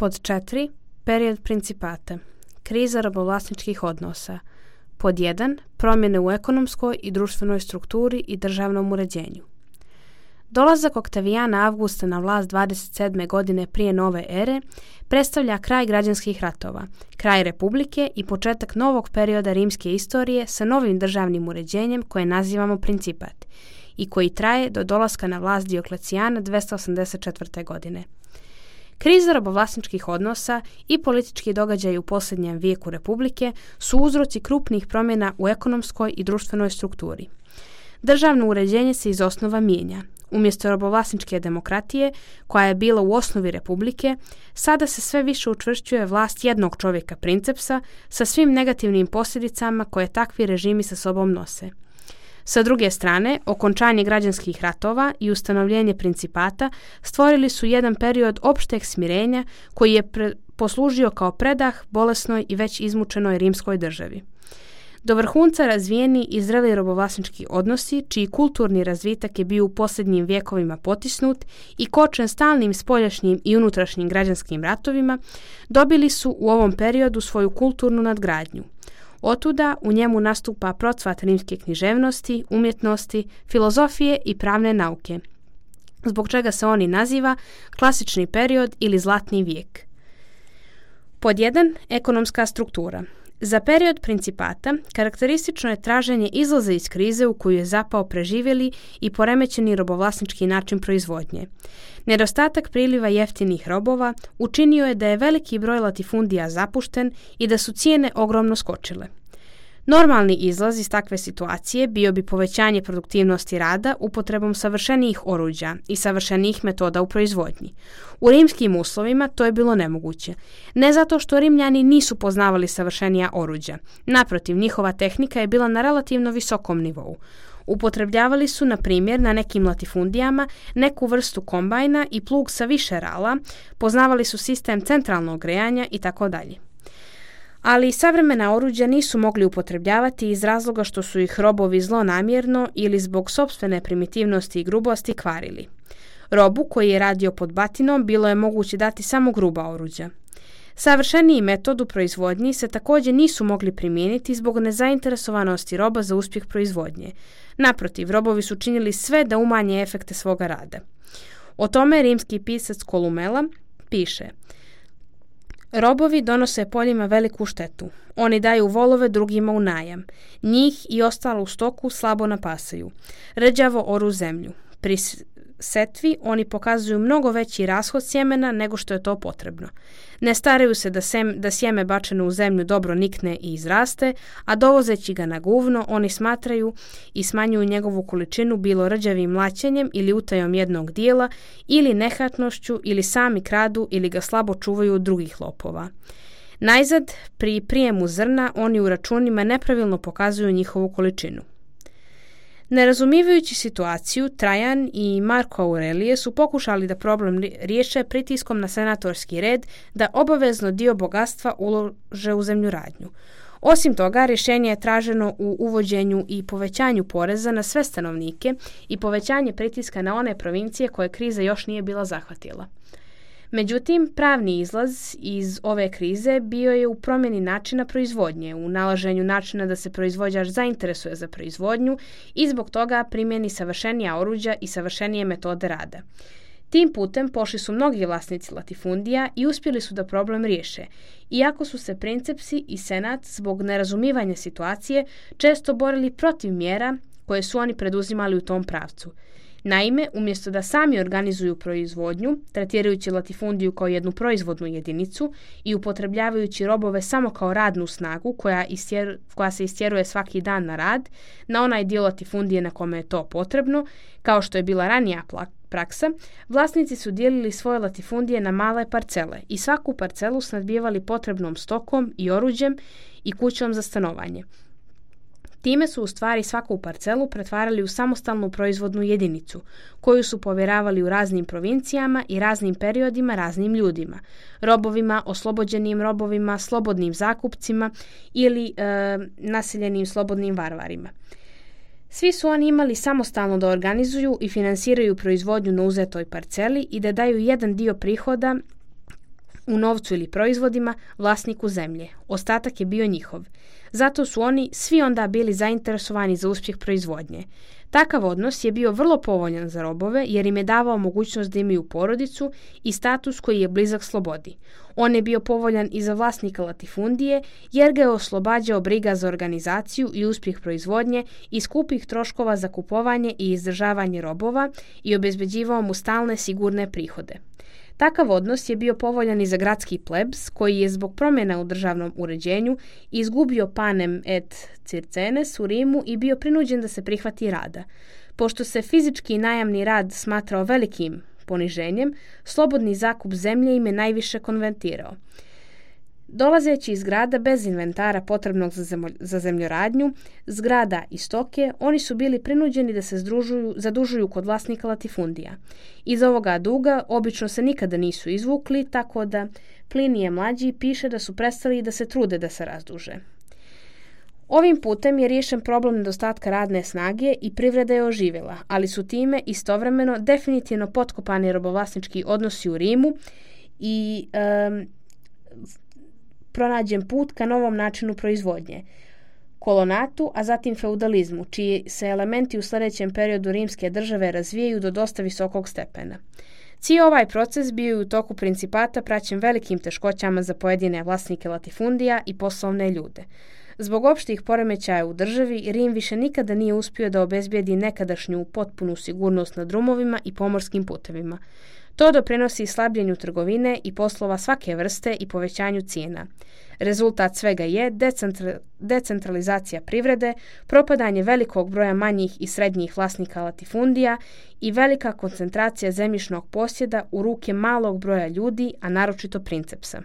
Pod 4. Period principata. Kriza robovlasničkih odnosa. Pod 1. Promjene u ekonomskoj i društvenoj strukturi i državnom uređenju. Dolazak Oktavijana Avgusta na vlast 27. godine prije nove ere predstavlja kraj građanskih ratova, kraj republike i početak novog perioda rimske istorije sa novim državnim uređenjem koje nazivamo principat i koji traje do dolaska na vlast Dioklecijana 284. godine. Kriza robovlasničkih odnosa i politički događaji u posljednjem vijeku republike su uzroci krupnih promjena u ekonomskoj i društvenoj strukturi. Državno uređenje se iz osnova mijenja. Umjesto robovlasničke demokratije, koja je bila u osnovi republike, sada se sve više učvršćuje vlast jednog čovjeka princepsa sa svim negativnim posljedicama koje takvi režimi sa sobom nose. Sa druge strane, okončanje građanskih ratova i ustanovljenje principata stvorili su jedan period opšteg smirenja koji je poslužio kao predah bolesnoj i već izmučenoj rimskoj državi. Do vrhunca razvijeni i zreli robovlasnički odnosi, čiji kulturni razvitak je bio u posljednjim vjekovima potisnut i kočen stalnim spoljašnjim i unutrašnjim građanskim ratovima, dobili su u ovom periodu svoju kulturnu nadgradnju. Otuda u njemu nastupa procvat rimske književnosti, umjetnosti, filozofije i pravne nauke, zbog čega se oni naziva klasični period ili zlatni vijek. Pod 1. Ekonomska struktura. Za period principata karakteristično je traženje izlaza iz krize u koju je zapao preživjeli i poremećeni robovlasnički način proizvodnje. Nedostatak priliva jeftinih robova učinio je da je veliki broj latifundija zapušten i da su cijene ogromno skočile. Normalni izlaz iz takve situacije bio bi povećanje produktivnosti rada upotrebom savršenijih oruđa i savršenijih metoda u proizvodnji. U rimskim uslovima to je bilo nemoguće. Ne zato što Rimljani nisu poznavali savršenija oruđa. Naprotiv, njihova tehnika je bila na relativno visokom nivou. Upotrebljavali su, na primjer, na nekim latifundijama neku vrstu kombajna i plug sa više rala, poznavali su sistem centralnog grejanja itd. Ali savremena oruđa nisu mogli upotrebljavati iz razloga što su ih robovi zlonamjerno ili zbog sopstvene primitivnosti i grubosti kvarili. Robu koji je radio pod batinom bilo je moguće dati samo gruba oruđa. Savršeniji metod u proizvodnji se također nisu mogli primijeniti zbog nezainteresovanosti roba za uspjeh proizvodnje. Naprotiv, robovi su činili sve da umanje efekte svoga rada. O tome rimski pisac Kolumela piše: robovi donose poljima veliku štetu. Oni daju volove drugima u najam. Njih i ostalu stoku slabo napasaju. Rđavo oru zemlju. Pri setvi oni pokazuju mnogo veći rashod sjemena nego što je to potrebno. Ne staraju se da sjeme bačeno u zemlju dobro nikne i izraste, a dovozeći ga na guvno oni smatraju i smanjuju njegovu količinu bilo rđavim mlaćenjem ili utajom jednog dijela ili nehatnošću ili sami kradu ili ga slabo čuvaju od drugih lopova. Najzad, pri prijemu zrna oni u računima nepravilno pokazuju njihovu količinu. Nerazumivajući situaciju, Trajan i Marko Aurelije su pokušali da problem riješe pritiskom na senatorski red da obavezno dio bogatstva ulože u zemljoradnju. Osim toga, rješenje je traženo u uvođenju i povećanju poreza na sve stanovnike i povećanje pritiska na one provincije koje kriza još nije bila zahvatila. Međutim, pravni izlaz iz ove krize bio je u promjeni načina proizvodnje, u nalaženju načina da se proizvođač zainteresuje za proizvodnju i zbog toga primjeni savršenija oruđa i savršenije metode rada. Tim putem pošli su mnogi vlasnici latifundija i uspjeli su da problem riješe, iako su se princepsi i senat zbog nerazumivanja situacije često borili protiv mjera koje su oni preduzimali u tom pravcu. Naime, umjesto da sami organizuju proizvodnju, tretirajući latifundiju kao jednu proizvodnu jedinicu i upotrebljavajući robove samo kao radnu snagu koja se istjeruje svaki dan na rad, na onaj dio latifundije na kome je to potrebno, kao što je bila ranija praksa, vlasnici su dijelili svoje latifundije na male parcele i svaku parcelu snadbijevali potrebnom stokom i oruđem i kućom za stanovanje. Time su u stvari svaku parcelu pretvarali u samostalnu proizvodnu jedinicu, koju su povjeravali u raznim provincijama i raznim periodima raznim ljudima, robovima, oslobođenim robovima, slobodnim zakupcima ili naseljenim slobodnim varvarima. Svi su oni imali samostalno da organizuju i finansiraju proizvodnju na uzetoj parceli i da daju jedan dio prihoda u novcu ili proizvodima, vlasniku zemlje. Ostatak je bio njihov. Zato su oni svi onda bili zainteresovani za uspjeh proizvodnje. Takav odnos je bio vrlo povoljan za robove jer im je davao mogućnost da imaju porodicu i status koji je blizak slobodi. On je bio povoljan i za vlasnika latifundije jer ga je oslobađao briga za organizaciju i uspjeh proizvodnje i skupih troškova za kupovanje i izdržavanje robova i obezbeđivao mu stalne sigurne prihode. Takav odnos je bio povoljan i za gradski plebs, koji je zbog promjena u državnom uređenju izgubio panem et circenes u Rimu i bio prinuđen da se prihvati rada. Pošto se fizički najamni rad smatrao velikim poniženjem, slobodni zakup zemlje im je najviše konvertirao. Dolazeći iz grada bez inventara potrebnog za zemljoradnju, zgrada i stoke, oni su bili prinuđeni da se zadužuju kod vlasnika latifundija. Iz ovoga duga obično se nikada nisu izvukli, tako da Plinije mlađi piše da su prestali i da se trude da se razduže. Ovim putem je riješen problem nedostatka radne snage i privreda je oživjela, ali su time istovremeno definitivno potkopani robovlasnički odnosi u Rimu i pronađen put ka novom načinu proizvodnje, kolonatu, a zatim feudalizmu, čiji se elementi u sljedećem periodu rimske države razvijaju do dosta visokog stepena. Cijeli ovaj proces bio je u toku principata praćen velikim teškoćama za pojedine vlasnike latifundija i poslovne ljude. Zbog opštih poremećaja u državi, Rim više nikada nije uspio da obezbijedi nekadašnju potpunu sigurnost na drumovima i pomorskim putevima. To doprinosi slabljenju trgovine i poslova svake vrste i povećanju cijena. Rezultat svega je decentralizacija privrede, propadanje velikog broja manjih i srednjih vlasnika latifundija i velika koncentracija zemljišnog posjeda u ruke malog broja ljudi, a naročito princepsa.